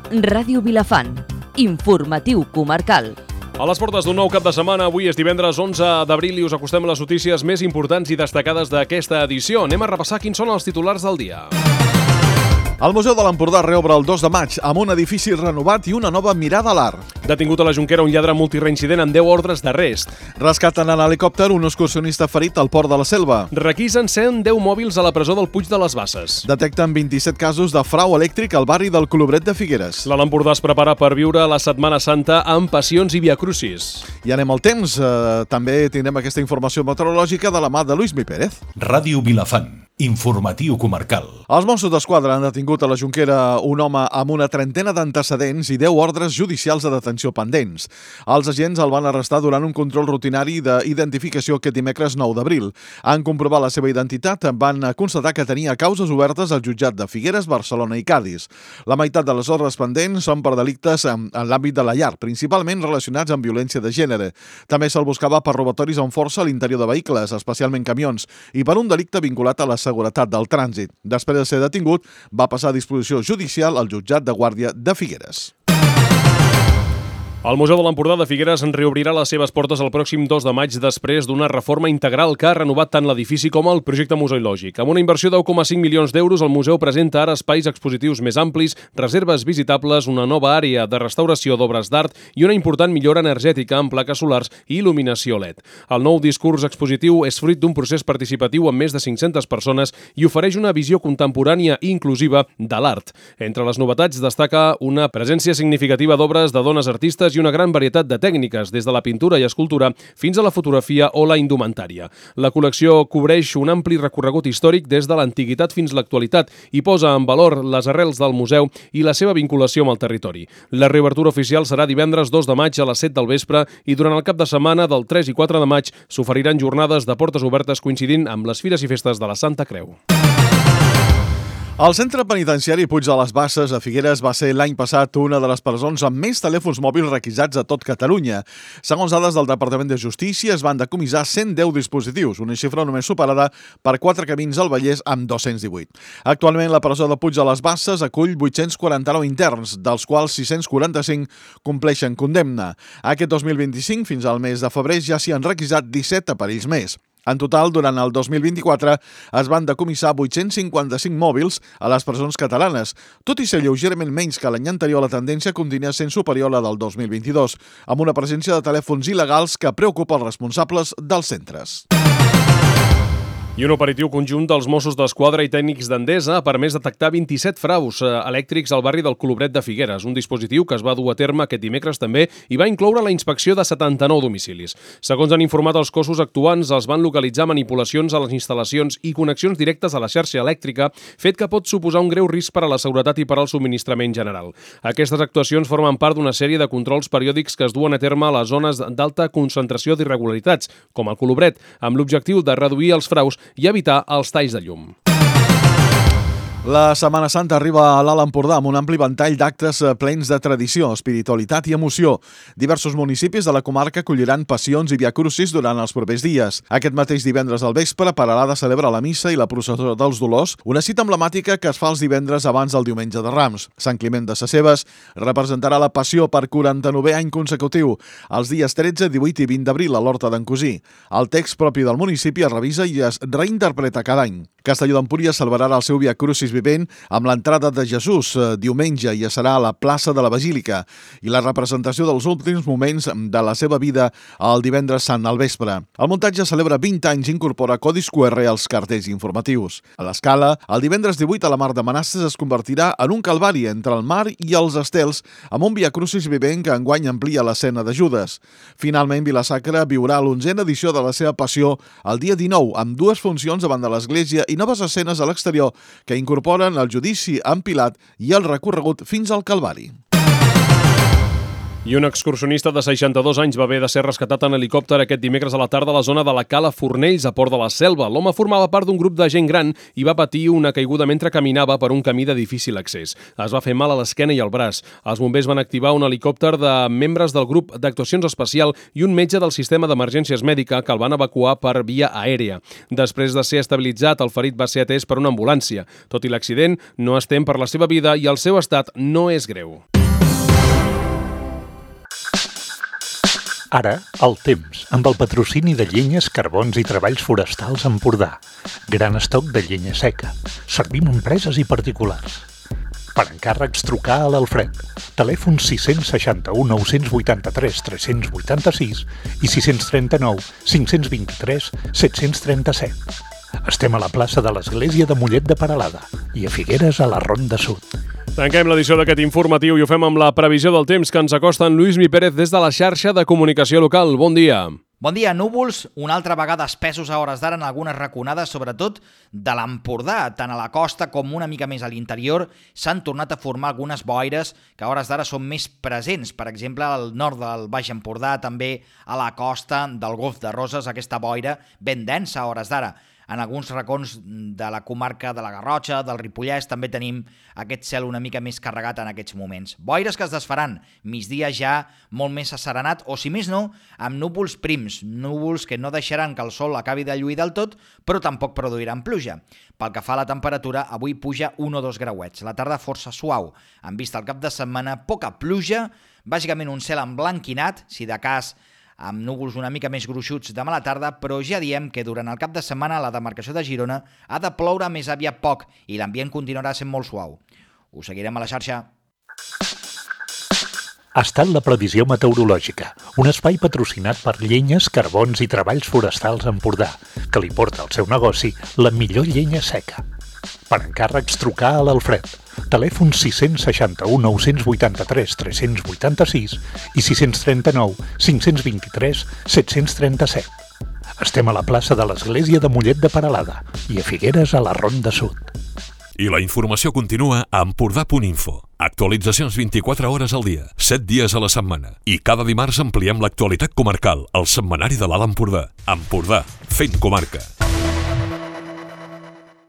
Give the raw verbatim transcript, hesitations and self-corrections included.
Ràdio Vilafant, informatiu comarcal. A les portes d'un nou cap de setmana, avui és divendres onze d'abril i us acostem a les notícies més importants i destacades d'aquesta edició. Anem a repassar quins són els titulars del dia. El Museu de l'Empordà reobre el dos de maig amb un edifici renovat i una nova mirada a l'art. Detingut a la Jonquera un lladre multireincident amb deu ordres d'arrest. Rescaten en helicòpter un excursionista ferit al port de la Selva. Requisen cent deu mòbils a la presó del Puig de les Basses. Detecten vint-i-set casos de frau elèctric al barri del Colobret de Figueres. L'Alt Empordà es prepara per viure la Setmana Santa amb passions i viacrucis. I anem al temps. Eh, també tindrem aquesta informació meteorològica de la mà de Lluís Mi Pérez. Ràdio Vilafant, informatiu comarcal. Els Mossos d'Esquadra han detingut a la Jonquera un home amb una trentena d'antecedents i deu ordres judicials de detenció pendents. Els agents el van arrestar durant un control rutinari d'identificació aquest dimecres nou d'abril. En comprovar la seva identitat, van constatar que tenia causes obertes al jutjat de Figueres, Barcelona i Cadis. La meitat de les ordres pendents són per delictes en, en l'àmbit de la llar, principalment relacionats amb violència de gènere. També se'l buscava per robatoris amb força a l'interior de vehicles, especialment camions, i per un delicte vinculat a la seguretat del trànsit. Després de ser detingut, va passar a disposició judicial al jutjat de Guàrdia de Figueres. El Museu de l'Empordà de Figueres en reobrirà les seves portes el pròxim dos de maig després d'una reforma integral que ha renovat tant l'edifici com el projecte museològic. Amb una inversió de deu coma cinc milions d'euros, el museu presenta ara espais expositius més amplis, reserves visitables, una nova àrea de restauració d'obres d'art i una important millora energètica amb plaques solars i il·luminació L E D. El nou discurs expositiu és fruit d'un procés participatiu amb més de cinc-centes persones i ofereix una visió contemporània i inclusiva de l'art. Entre les novetats destaca una presència significativa d'obres de dones artistes i una gran varietat de tècniques, des de la pintura i escultura fins a la fotografia o la indumentària. La col·lecció cobreix un ampli recorregut històric des de l'antiguitat fins a l'actualitat i posa en valor les arrels del museu i la seva vinculació amb el territori. La reobertura oficial serà divendres dos de maig a les set del vespre i durant el cap de setmana del tres i quatre de maig s'oferiran jornades de portes obertes coincidint amb les fires i festes de la Santa Creu. El centre penitenciari Puig de les Basses a Figueres va ser l'any passat una de les presons amb més telèfons mòbils requisats a tot Catalunya. Segons dades del Departament de Justícia, es van decomissar cent deu dispositius, una xifra només superada per quatre camins al Vallès amb dos-cents divuit. Actualment, la presó de Puig de les Basses acull vuit-cents quaranta-nou interns, dels quals sis-cents quaranta-cinc compleixen condemna. Aquest dos mil vint-i-cinc, fins al mes de febrer, ja s'hi han requisat disset aparells més. En total, durant el dos mil vint-i-quatre, es van decomissar vuit-cents cinquanta-cinc mòbils a les presons catalanes. Tot i ser lleugerament menys que l'any anterior, la tendència continua sent superior a la del dos mil vint-i-dos, amb una presència de telèfons il·legals que preocupa els responsables dels centres. I un operatiu conjunt dels Mossos d'Esquadra i tècnics d'Endesa ha permès detectar vint-i-set fraus elèctrics al barri del Colobret de Figueres, un dispositiu que es va dur a terme aquest dimecres també i va incloure la inspecció de setanta-nou domicilis. Segons han informat els cossos actuants, els van localitzar manipulacions a les instal·lacions i connexions directes a la xarxa elèctrica, fet que pot suposar un greu risc per a la seguretat i per al subministrament general. Aquestes actuacions formen part d'una sèrie de controls periòdics que es duen a terme a les zones d'alta concentració d'irregularitats, com el Colobret, amb l'objectiu de reduir els fraus i evitar els talls de llum. La Setmana Santa arriba a l'Alt Empordà amb un ampli ventall d'actes plens de tradició, espiritualitat i emoció. Diversos municipis de la comarca acolliran passions i viacrucis durant els propers dies. Aquest mateix divendres al vespre, Peralada celebra la missa i la processó dels Dolors, una cita emblemàtica que es fa els divendres abans del diumenge de Rams. Sant Climent de Sescebes representarà la passió per quaranta-novè any consecutiu, els dies tretze, divuit i vint d'abril a l'Horta d'en Cosí. El text propi del municipi es revisa i es reinterpreta cada any. Castelló d'Empúries celebrarà el seu viacrucis vivent amb l'entrada de Jesús diumenge i serà a la plaça de la Basílica i la representació dels últims moments de la seva vida el divendres sant al vespre. El muntatge celebra vint anys i incorpora codis Q R als cartells informatius. A l'Escala, el divendres divuit a la Mar de Manasses es convertirà en un calvari entre el mar i els estels amb un viacrucis vivent que enguany amplia l'escena de Judes. Finalment, Vila-sacra viurà l'onzena edició de la seva passió el dia dinou amb dues funcions davant de l'església i noves escenes a l'exterior que incorporen el judici amb Pilat i el recorregut fins al Calvari. I un excursionista de seixanta-dos anys va haver de ser rescatat en helicòpter aquest dimecres a la tarda a la zona de la Cala Fornells, a Port de la Selva. L'home formava part d'un grup de gent gran i va patir una caiguda mentre caminava per un camí de difícil accés. Es va fer mal a l'esquena i al braç. Els bombers van activar un helicòpter de membres del grup d'actuacions especial i un metge del sistema d'emergències mèdica que el van evacuar per via aèria. Després de ser estabilitzat, el ferit va ser atès per una ambulància. Tot i l'accident, no es tem per la seva vida i el seu estat no és greu. Ara, el temps, amb el patrocini de Llenyes, Carbons i Treballs Forestals Empordà. Gran estoc de llenya seca. Servim empreses i particulars. Per encàrrecs, trucar a l'Alfred. Telèfon sis sis u, nou vuit tres, tres vuit sis i sis tres nou, cinc dos tres, set tres set. Estem a la plaça de l'Església de Mollet de Peralada i a Figueres, a la Ronda Sud. Tanquem l'edició d'aquest informatiu i ho fem amb la previsió del temps que ens acosta en Lluís Mi Pérez des de la xarxa de comunicació local. Bon dia. Bon dia, núvols, una altra vegada espessos a hores d'ara en algunes raconades, sobretot de l'Empordà. Tant a la costa com una mica més a l'interior s'han tornat a formar algunes boires que a hores d'ara són més presents. Per exemple, al nord del Baix Empordà, també a la costa del Golf de Roses, aquesta boira ben densa a hores d'ara. En alguns racons de la comarca de la Garrotxa, del Ripollès, també tenim aquest cel una mica més carregat en aquests moments. Boires que es desfaran, migdia ja molt més asserenat, o si més no, amb núvols prims, núvols que no deixaran que el sol acabi de lluir del tot, però tampoc produiran pluja. Pel que fa a la temperatura, avui puja un o dos grauets. La tarda força suau. En vista al cap de setmana, poca pluja, bàsicament un cel emblanquinat, si de cas amb núvols una mica més gruixuts demà a la tarda, però ja diem que durant el cap de setmana la demarcació de Girona ha de ploure més aviat poc i l'ambient continuarà sent molt suau. Us seguirem a la xarxa. Ha estat la previsió meteorològica, un espai patrocinat per Llenyes, Carbons i Treballs Forestals Empordà, que li porta al seu negoci la millor llenya seca. Per encàrrecs, trucar a l'Alfred. Telèfon sis sis u, nou vuit tres, tres vuit sis i sis tres nou, cinc dos tres, set tres set. Estem a la plaça de l'Església de Mollet de Peralada i a Figueres, a la Ronda Sud. I la informació continua a empordà punt info. Actualitzacions vint-i-quatre hores al dia, set dies a la setmana. I cada dimarts ampliem l'actualitat comarcal, al setmanari de l'Alt Empordà. Empordà, fent comarca.